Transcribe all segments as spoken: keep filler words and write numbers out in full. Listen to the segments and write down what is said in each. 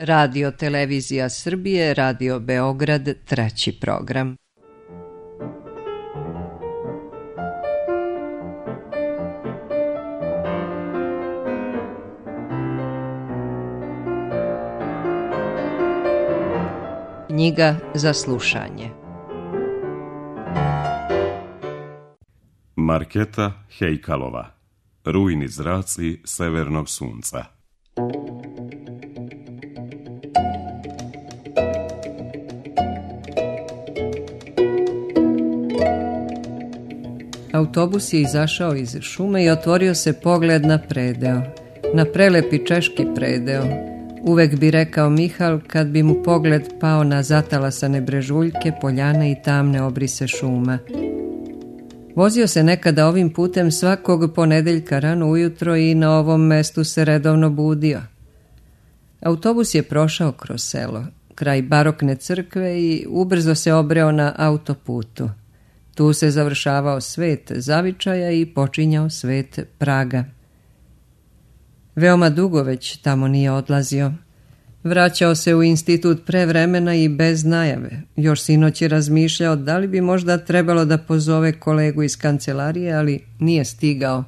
Radio Televizija Srbije, Radio Beograd, treći program. Knjiga za slušanje. Marketa Hejkalova. Rujni zraci severnog sunca. Autobus je izašao iz šume i otvorio se pogled na predeo, na prelepi češki predeo. Uvek bi rekao Mihal kad bi mu pogled pao na zatalasane brežuljke, poljane i tamne obrise šuma. Vozio se nekada ovim putem svakog ponedeljka rano ujutro i na ovom mestu se redovno budio. Autobus je prošao kroz selo, kraj barokne crkve i ubrzo se obreo na autoputu. Tu se završavao svet zavičaja i počinjao svet Praga. Veoma dugo već tamo nije odlazio. Vraćao se u institut pre vremena i bez najave. Još sinoć je razmišljao da li bi možda trebalo da pozove kolegu iz kancelarije, ali nije stigao.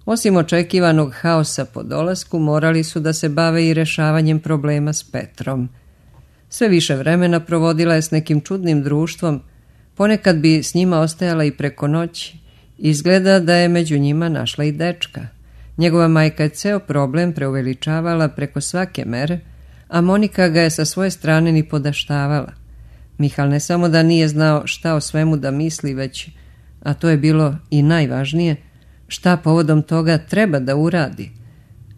Osim očekivanog haosa po dolasku, morali su da se bave i rešavanjem problema s Petrom. Sve više vremena provodila je s nekim čudnim društvom, ponekad bi s njima ostajala i preko noći. Izgleda da je među njima našla i dečka. Njegova majka je ceo problem preuveličavala preko svake mere, a Monika ga je sa svoje strane ni podaštavala. Mihal ne samo da nije znao šta o svemu da misli, već, a to je bilo i najvažnije, šta povodom toga treba da uradi.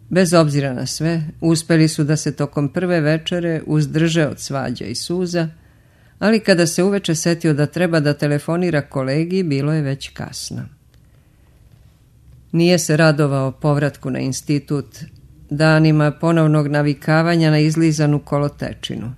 Bez obzira na sve, uspeli su da se tokom prve večere uzdrže od svađa i suza, ali kada se uveče setio da treba da telefonira kolegi, bilo je već kasno. Nije se radovao povratku na institut, danima ponovnog navikavanja na izlizanu kolotečinu.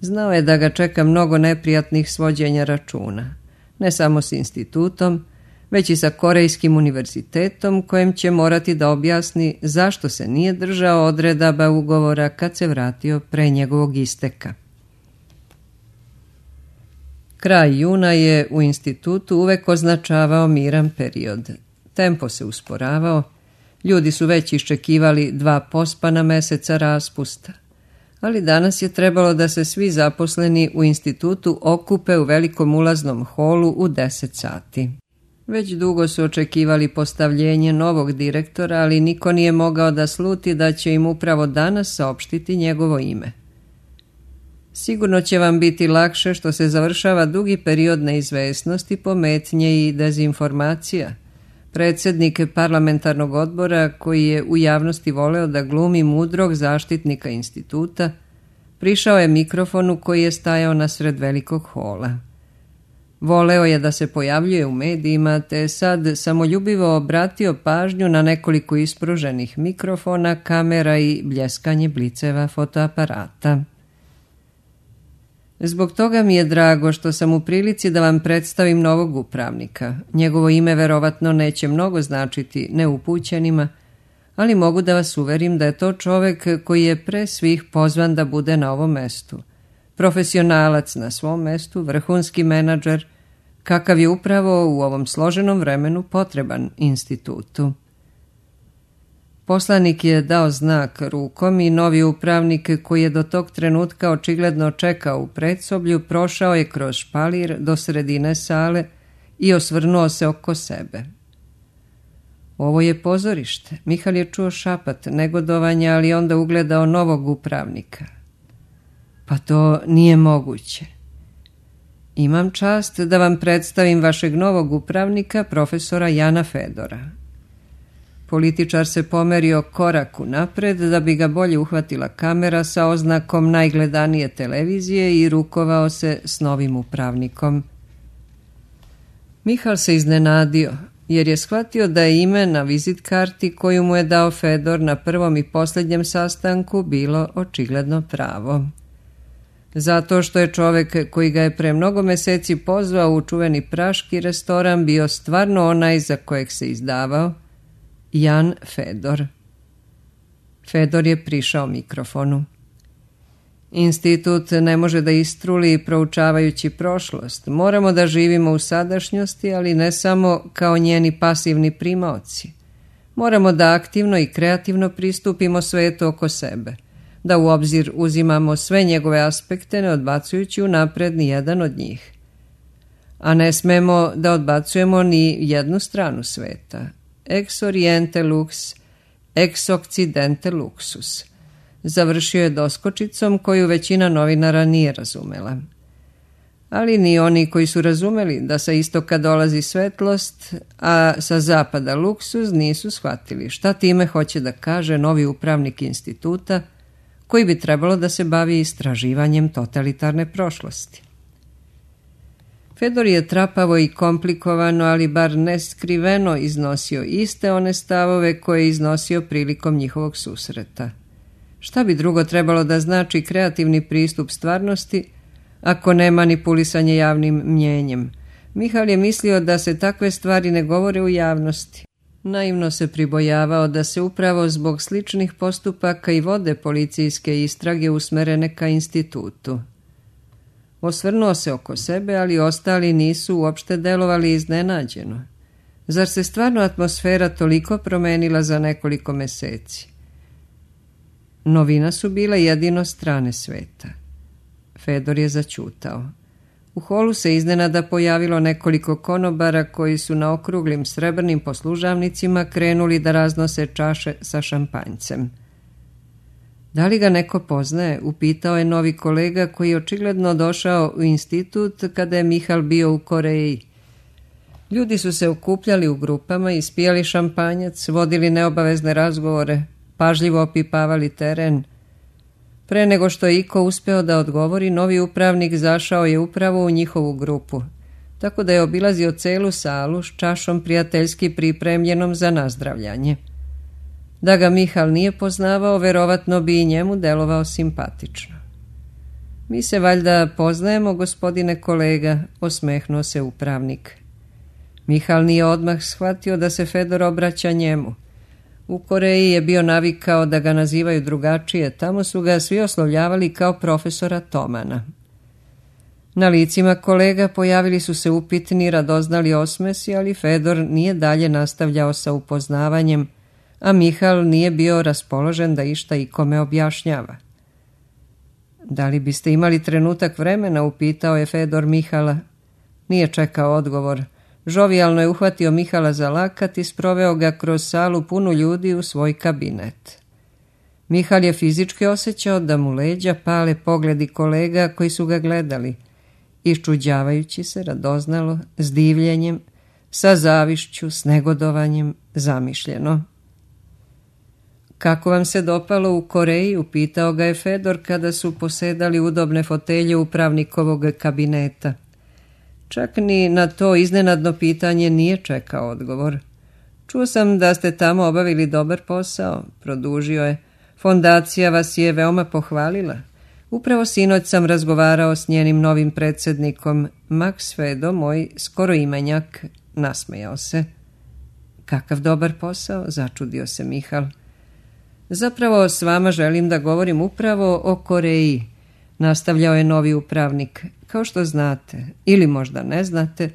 Znao je da ga čeka mnogo neprijatnih svođenja računa, ne samo s institutom, već i sa Korejskim univerzitetom, kojem će morati da objasni zašto se nije držao odredaba ugovora kad se vratio pre njegovog isteka. Kraj juna je u institutu uvek označavao miran period. Tempo se usporavao, ljudi su već iščekivali dva pospana meseca raspusta, ali danas je trebalo da se svi zaposleni u institutu okupe u velikom ulaznom holu u deset sati. Već dugo su očekivali postavljenje novog direktora, ali niko nije mogao da sluti da će im upravo danas saopštiti njegovo ime. Sigurno će vam biti lakše što se završava dugi period neizvesnosti, pometnje i dezinformacija. Predsjednik parlamentarnog odbora, koji je u javnosti voleo da glumi mudrog zaštitnika instituta, prišao je mikrofonu koji je stajao nasred velikog hola. Voleo je da se pojavljuje u medijima, te je sad samoljubivo obratio pažnju na nekoliko ispruženih mikrofona, kamera i bljeskanje bliceva fotoaparata. Zbog toga mi je drago što sam u prilici da vam predstavim novog upravnika. Njegovo ime verovatno neće mnogo značiti neupućenima, ali mogu da vas uverim da je to čovek koji je pre svih pozvan da bude na ovom mestu. Profesionalac na svom mestu, vrhunski menadžer, kakav je upravo u ovom složenom vremenu potreban institutu. Poslanik je dao znak rukom i novi upravnik, koji je do tog trenutka očigledno čekao u predsoblju, prošao je kroz špalir do sredine sale i osvrnuo se oko sebe. Ovo je pozorište. Mihal je čuo šapat negodovanja, ali onda ugledao novog upravnika. Pa to nije moguće. Imam čast da vam predstavim vašeg novog upravnika, profesora Jana Fedora. Političar se pomerio koraku napred da bi ga bolje uhvatila kamera sa oznakom najgledanije televizije i rukovao se s novim upravnikom. Mihal se iznenadio, jer je shvatio da je ime na vizit karti koju mu je dao Fedor na prvom i posljednjem sastanku bilo očigledno pravo. Zato što je čovek koji ga je pre mnogo meseci pozvao u čuveni praški restoran bio stvarno onaj za kojeg se izdavao, Jan Fedor. Fedor je prišao mikrofonu. Institut ne može da istruli proučavajući prošlost. Moramo da živimo u sadašnjosti, ali ne samo kao njeni pasivni primaoci. Moramo da aktivno i kreativno pristupimo svetu oko sebe, da u obzir uzimamo sve njegove aspekte, ne odbacujući unapred ni jedan od njih. A ne smemo da odbacujemo ni jednu stranu sveta. Ex oriente lux, ex occidente luxus. Završio je doskočicom koju većina novinara nije razumela. Ali ni oni koji su razumeli da sa istoka dolazi svetlost, a sa zapada luksuz, nisu shvatili šta time hoće da kaže novi upravnik instituta, koji bi trebalo da se bavi istraživanjem totalitarne prošlosti. Fedor je trapavo i komplikovano, ali bar neskriveno iznosio iste one stavove koje je iznosio prilikom njihovog susreta. Šta bi drugo trebalo da znači kreativni pristup stvarnosti, ako ne manipulisanje javnim mnjenjem? Mihal je mislio da se takve stvari ne govore u javnosti. Naivno se pribojavao da se upravo zbog sličnih postupaka i vode policijske istrage usmerene ka institutu. Osvrnuo se oko sebe, ali ostali nisu uopšte delovali iznenađeno. Zar se stvarno atmosfera toliko promenila za nekoliko meseci? Novina su bile jedino strane sveta. Fedor je zaćutao. U holu se iznenada pojavilo nekoliko konobara koji su na okruglim srebrnim poslužavnicima krenuli da raznose čaše sa šampanjcem. Da li ga neko poznaje, upitao je novi kolega koji je očigledno došao u institut kada je Mihal bio u Koreji. Ljudi su se okupljali u grupama, ispijali šampanjac, vodili neobavezne razgovore, pažljivo opipavali teren. Pre nego što je iko uspeo da odgovori, novi upravnik zašao je upravo u njihovu grupu, tako da je obilazio celu salu s čašom prijateljski pripremljenom za nazdravljanje. Da ga Mihal nije poznavao, verovatno bi i njemu delovao simpatično. Mi se valjda poznajemo, gospodine kolega, osmehnuo se upravnik. Mihal nije odmah shvatio da se Fedor obraća njemu. U Koreji je bio navikao da ga nazivaju drugačije, tamo su ga svi oslovljavali kao profesora Tomana. Na licima kolega pojavili su se upitni, radoznali osmesi, ali Fedor nije dalje nastavljao sa upoznavanjem, a Mihal nije bio raspoložen da išta ikome objašnjava. Da li biste imali trenutak vremena, upitao je Fedor Mihala. Nije čekao odgovor. Žovijalno je uhvatio Mihala za lakat i sproveo ga kroz salu punu ljudi u svoj kabinet. Mihal je fizički osjećao da mu leđa pale pogledi kolega koji su ga gledali, iščuđavajući se radoznalo, s divljenjem, sa zavišću, s negodovanjem, zamišljeno. Kako vam se dopalo u Koreji, upitao ga je Fedor kada su posedali udobne fotelje upravnikovog kabineta. Čak ni na to iznenadno pitanje nije čekao odgovor. Čuo sam da ste tamo obavili dobar posao, produžio je. Fondacija vas je veoma pohvalila. Upravo sinoć sam razgovarao s njenim novim predsjednikom, Max Fedo, moj skoro imenjak, nasmejao se. Kakav dobar posao, začudio se Mihal. Zapravo s vama želim da govorim upravo o Koreji, nastavljao je novi upravnik. Kao što znate, ili možda ne znate,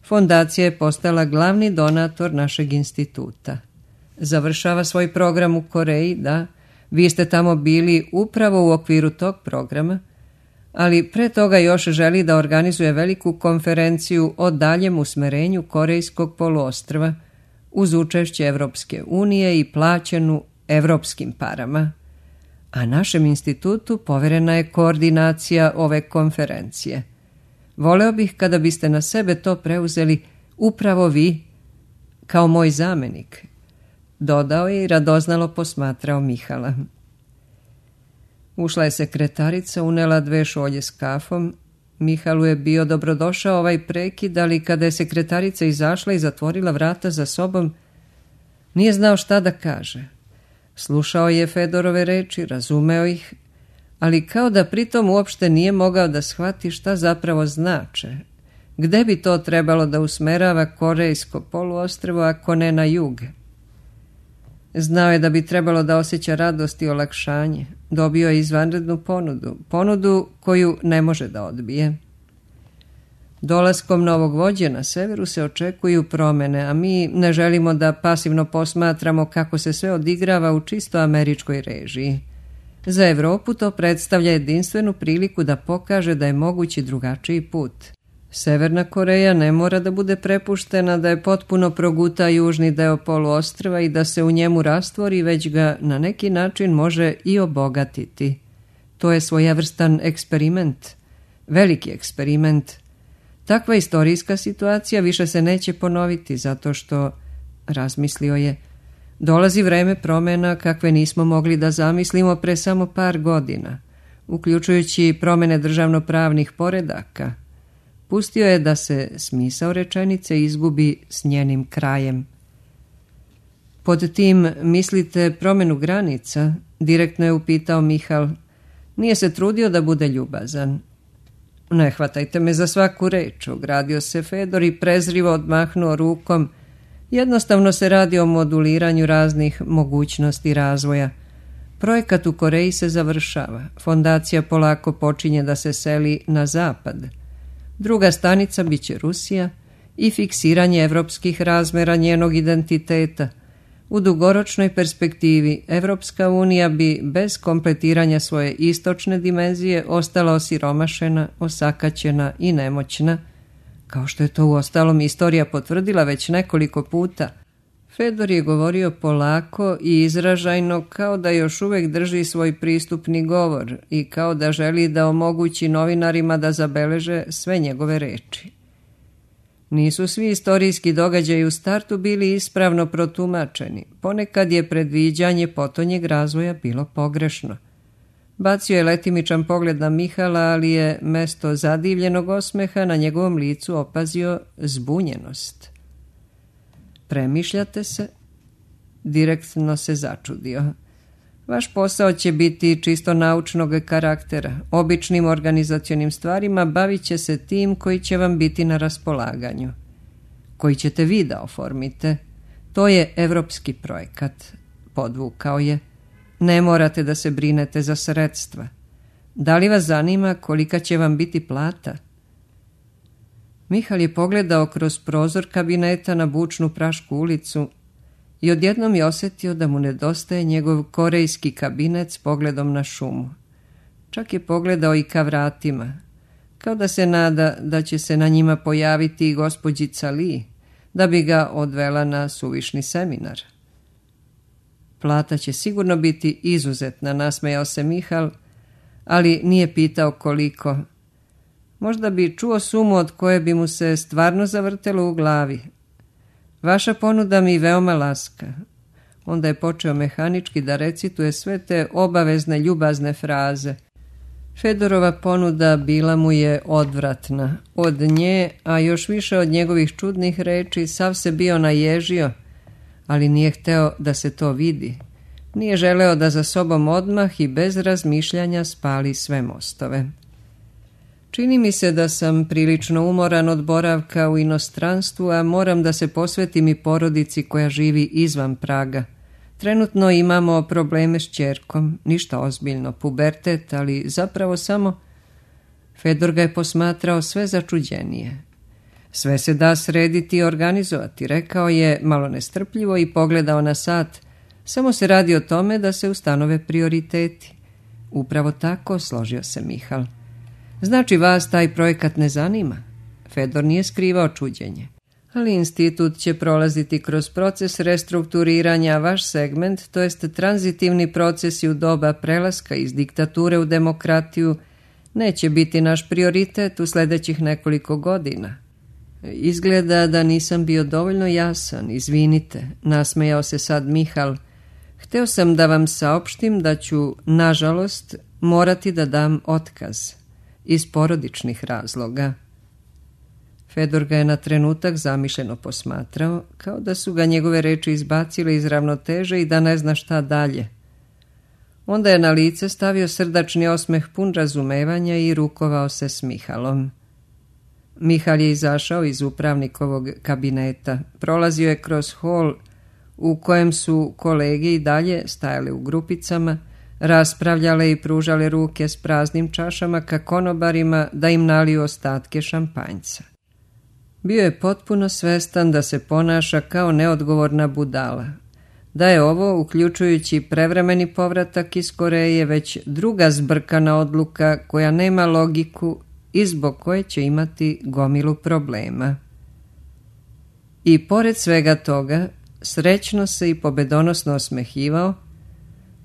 fondacija je postala glavni donator našeg instituta. Završava svoj program u Koreji, da, vi ste tamo bili upravo u okviru tog programa, ali pre toga još želi da organizuje veliku konferenciju o daljem usmerenju Korejskog poluostrva uz učešće Evropske unije i plaćenu evropskim parama. A našem institutu poverena je koordinacija ove konferencije. Voleo bih kada biste na sebe to preuzeli upravo vi, kao moj zamenik, dodao je i radoznalo posmatrao Mihala. Ušla je sekretarica, unela dve šolje s kafom. Mihalu je bio dobrodošao ovaj prekid, ali kada je sekretarica izašla i zatvorila vrata za sobom, nije znao šta da kaže. Slušao je Fedorove reči, razumeo ih, ali kao da pritom uopšte nije mogao da shvati šta zapravo znače. Gde bi to trebalo da usmerava Korejsko poluostrvo ako ne na jug? Znao je da bi trebalo da osjeća radost i olakšanje, Dobio je izvanrednu ponudu, ponudu koju ne može da odbije. Dolaskom novog vođe na severu se očekuju promjene, a mi ne želimo da pasivno posmatramo kako se sve odigrava u čisto američkoj režiji. Za Europu to predstavlja jedinstvenu priliku da pokaže da je mogući drugačiji put. Severna Koreja ne mora da bude prepuštena da je potpuno proguta južni deo poluostrva i da se u njemu rastvori, već ga na neki način može i obogatiti. To je svojevrstan eksperiment, veliki eksperiment. Takva istorijska situacija više se neće ponoviti zato što, razmislio je, dolazi vreme promjena kakve nismo mogli da zamislimo pre samo par godina, uključujući promjene državnopravnih poredaka. Pustio je da se smisao rečenice izgubi s njenim krajem. Pod tim mislite promjenu granica? Direktno je upitao Mihal. Nije se trudio da bude ljubazan. Ne hvatajte me za svaku reč, ogradio se Fedor i prezrivo odmahnuo rukom. Jednostavno se radi o moduliranju raznih mogućnosti razvoja. Projekat u Koreji se završava. Fondacija polako počinje da se seli na zapad. Druga stanica bit će Rusija i fiksiranje evropskih razmera njenog identiteta. U dugoročnoj perspektivi Evropska unija bi bez kompletiranja svoje istočne dimenzije ostala osiromašena, osakaćena i nemoćna, kao što je to uostalom istorija potvrdila već nekoliko puta. Fedor je govorio polako i izražajno, kao da još uvijek drži svoj pristupni govor i kao da želi da omogući novinarima da zabeleže sve njegove reči. Nisu svi istorijski događaji u startu bili ispravno protumačeni. Ponekad je predviđanje potonjeg razvoja bilo pogrešno. Bacio je letimičan pogled na Mihala, ali je mesto zadivljenog osmeha na njegovom licu opazio zbunjenost. Premišljate se? Direktno se začudio. Vaš posao će biti čisto naučnog karaktera. Običnim organizacionim stvarima bavit će se tim koji će vam biti na raspolaganju. Koji ćete vi da oformite. To je evropski projekat. Podvukao je. Ne morate da se brinete za sredstva. Da li vas zanima kolika će vam biti plata? Mihal je pogledao kroz prozor kabineta na bučnu Prašku ulicu i odjednom je osjetio da mu nedostaje njegov korejski kabinet s pogledom na šumu. Čak je pogledao i ka vratima, kao da se nada da će se na njima pojaviti i gospođica Li, da bi ga odvela na suvišni seminar. Plata će sigurno biti izuzetna, nasmejao se Mihal, ali nije pitao koliko. Možda bi čuo sumu od koje bi mu se stvarno zavrtelo u glavi. Vaša ponuda mi veoma laska. Onda je počeo mehanički da recituje sve te obavezne ljubazne fraze. Fedorova ponuda bila mu je odvratna. Od nje, a još više od njegovih čudnih reči, sav se bio naježio, ali nije hteo da se to vidi. Nije želeo da za sobom odmah i bez razmišljanja spali sve mostove. Čini mi se da sam prilično umoran od boravka u inostranstvu, a moram da se posvetim i porodici koja živi izvan Praga. Trenutno imamo probleme s ćerkom, ništa ozbiljno, pubertet, ali zapravo samo... Fedor ga je posmatrao sve začuđenije. Sve se da srediti i organizovati, rekao je malo nestrpljivo i pogledao na sat. Samo se radi o tome da se ustanove prioriteti. Upravo tako, složio se Mihal. Znači vas taj projekat ne zanima? Fedor nije skrivao čuđenje. Ali institut će prolaziti kroz proces restrukturiranja, vaš segment, to jest tranzitivni procesi u doba prelaska iz diktature u demokratiju, neće biti naš prioritet u sljedećih nekoliko godina. Izgleda da nisam bio dovoljno jasan, izvinite, nasmejao se sad Mihal. Hteo sam da vam saopštim da ću, nažalost, morati da dam otkaz. Iz porodičnih razloga. Fedor ga je na trenutak zamišljeno posmatrao, kao da su ga njegove reči izbacile iz ravnoteže i da ne zna šta dalje. Onda je na lice stavio srdačni osmeh pun razumevanja i rukovao se s Mihalom. Mihal je izašao iz upravnikovog kabineta. Prolazio je kroz hol u kojem su kolege i dalje stajale u grupicama, raspravljale i pružale ruke s praznim čašama ka konobarima da im naliju ostatke šampanjca. Bio je potpuno svestan da se ponaša kao neodgovorna budala, da je ovo, uključujući prevremeni povratak iz Koreje, već druga zbrkana odluka koja nema logiku i zbog koje će imati gomilu problema. I pored svega toga, srećno se i pobedonosno osmehivao,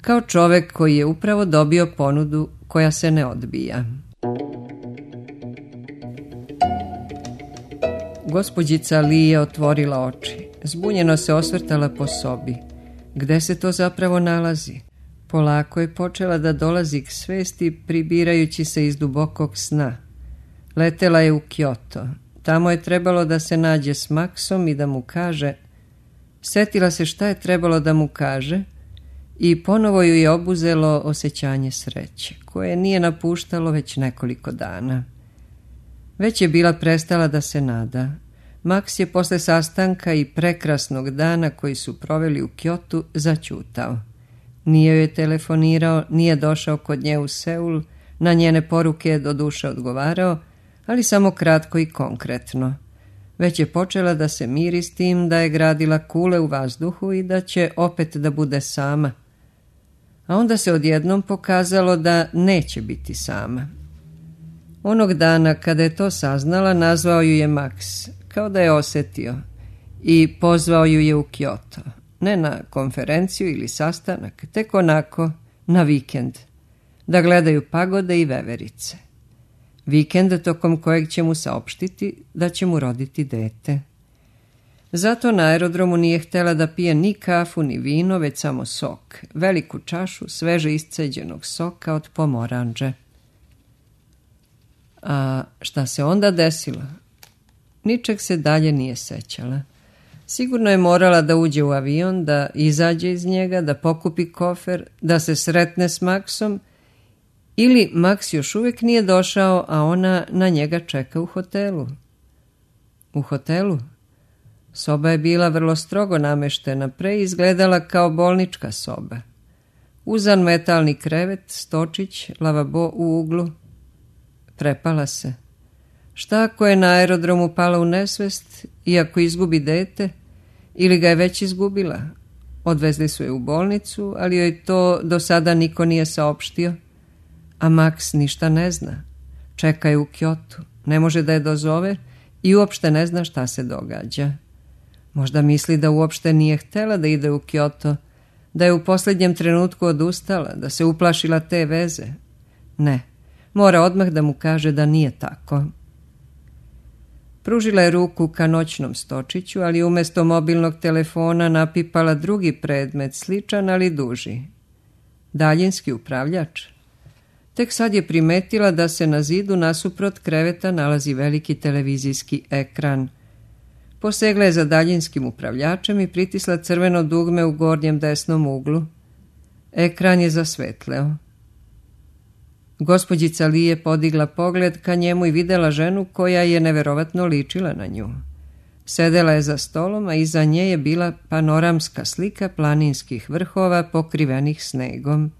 kao čovek koji je upravo dobio ponudu koja se ne odbija. Gospođica Li je otvorila oči. Zbunjeno se osvrtala po sobi. Gde se to zapravo nalazi? Polako je počela da dolazi k svesti, pribirajući se iz dubokog sna. Letela je u Kyoto. Tamo je trebalo da se nađe s Maksom i da mu kaže... Setila se šta je trebalo da mu kaže i ponovo ju je obuzelo osjećanje sreće, koje nije napuštalo već nekoliko dana. Već je bila prestala da se nada. Maks je posle sastanka i prekrasnog dana koji su proveli u Kyotu zaćutao. Nije joj telefonirao, nije došao kod nje u Seul, na njene poruke je doduše odgovarao, ali samo kratko i konkretno. Već je počela da se miri s tim da je gradila kule u vazduhu i da će opet da bude sama. A onda se odjednom pokazalo da neće biti sama. Onog dana kada je to saznala, nazvao ju je Maks, kao da je osjetio, i pozvao ju je u Kyoto. Ne na konferenciju ili sastanak, tek onako na vikend, da gledaju pagode i veverice. Vikend tokom kojeg će mu saopštiti da će mu roditi dete. Zato na aerodromu nije htjela da pije ni kafu ni vino, već samo sok, veliku čašu sveže isceđenog soka od pomoranđe. A šta se onda desilo? Ničeg se dalje nije sećala. Sigurno je morala da uđe u avion, da izađe iz njega, da pokupi kofer, da se sretne s Maksom, ili Maks još uvijek nije došao, a ona na njega čeka u hotelu. U hotelu? Soba je bila vrlo strogo nameštena, pre izgledala kao bolnička soba. Uzan metalni krevet, stočić, lavabo u uglu. Prepala se. Šta ako je na aerodromu pala u nesvest i ako izgubi dete, ili ga je već izgubila? Odvezli su je u bolnicu, ali joj to do sada niko nije saopštio. A Maks ništa ne zna. Čeka je u Kyotu, ne može da je dozove i uopšte ne zna šta se događa. Možda misli da uopšte nije htela da ide u Kyoto, da je u posljednjem trenutku odustala, da se uplašila te veze. Ne, mora odmah da mu kaže da nije tako. Pružila je ruku ka noćnom stočiću, ali umjesto mobilnog telefona napipala drugi predmet, sličan ali duži. Daljinski upravljač. Tek sad je primetila da se na zidu nasuprot kreveta nalazi veliki televizijski ekran. Posegla je za daljinskim upravljačem i pritisla crveno dugme u gornjem desnom uglu. Ekran je zasvetleo. Gospođica Li je podigla pogled ka njemu i videla ženu koja je neverovatno ličila na nju. Sedela je za stolom, a iza nje je bila panoramska slika planinskih vrhova pokrivenih snegom,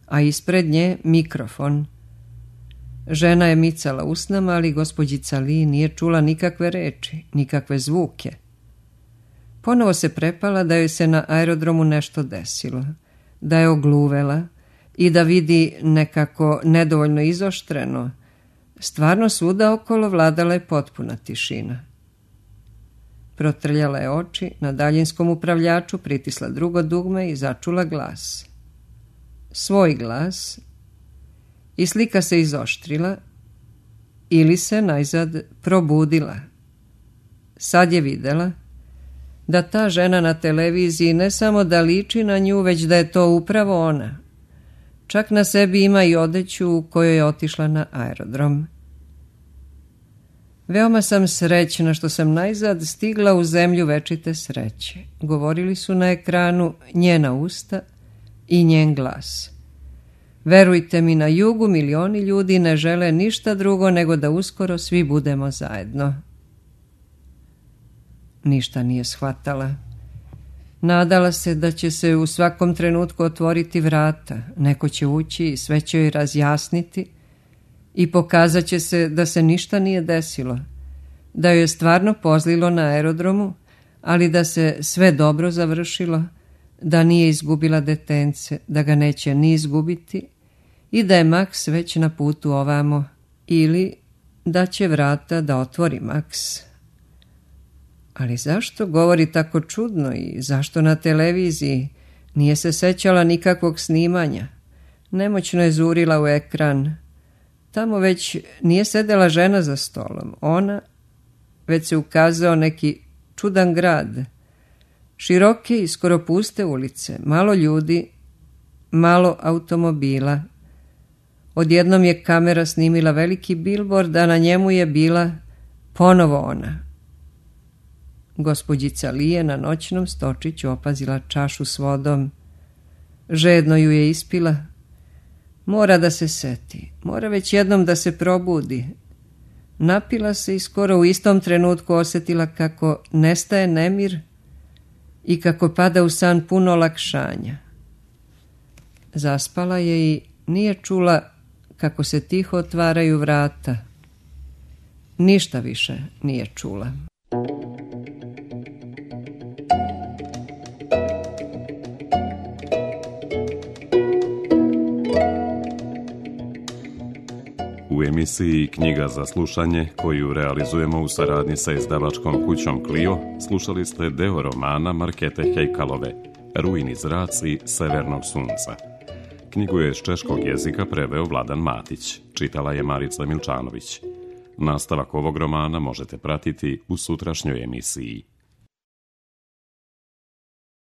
a ispred nje mikrofon. Žena je micala usnama, ali gospođica Li nije čula nikakve reči, nikakve zvuke. Ponovo se prepala da joj se na aerodromu nešto desilo, da je ogluvela i da vidi nekako nedovoljno izoštreno. Stvarno svuda okolo vladala je potpuna tišina. Protrljala je oči, na daljinskom upravljaču pritisla drugo dugme i začula glas. Svoj glas, i slika se izoštrila ili se najzad probudila. Sad je videla da ta žena na televiziji ne samo da liči na nju, već da je to upravo ona. Čak na sebi ima i odeću u kojoj je otišla na aerodrom. Veoma sam srećna što sam najzad stigla u zemlju večite sreće. Govorili su na ekranu njena usta i njen glas. Verujte mi, na jugu milioni ljudi ne žele ništa drugo nego da uskoro svi budemo zajedno. Ništa nije shvatala. Nadala se da će se u svakom trenutku otvoriti vrata, neko će ući i sve će joj razjasniti i pokazat će se da se ništa nije desilo, da joj je stvarno pozlilo na aerodromu, ali da se sve dobro završilo, da nije izgubila detence, da ga neće ni izgubiti i da je Maks već na putu ovamo, ili da će vrata da otvori Maks. Ali zašto govori tako čudno i zašto na televiziji nije se sećala nikakvog snimanja? Nemoćno je zurila u ekran. Tamo već nije sedela žena za stolom. Ona, već se ukazao neki čudan grad. Široke i skoro puste ulice, malo ljudi, malo automobila. Odjednom je kamera snimila veliki bilbord, a na njemu je bila ponovo ona. Gospođica Li je na noćnom stočiću opazila čašu s vodom. Žedno ju je ispila. Mora da se seti, mora već jednom da se probudi. Napila se i skoro u istom trenutku osjetila kako nestaje nemir i kako pada u san puno olakšanja. Zaspala je i nije čula kako se tiho otvaraju vrata. Ništa više nije čula. U emisiji Knjiga za slušanje, koju realizujemo u saradnji sa izdavačkom kućom Clio, slušali ste deo romana Markete Hejkalove, Rujni zraci severnog sunca. Knjigu je iz češkog jezika preveo Vladan Matić, čitala je Marica Milčanović. Nastavak ovog romana možete pratiti u sutrašnjoj emisiji.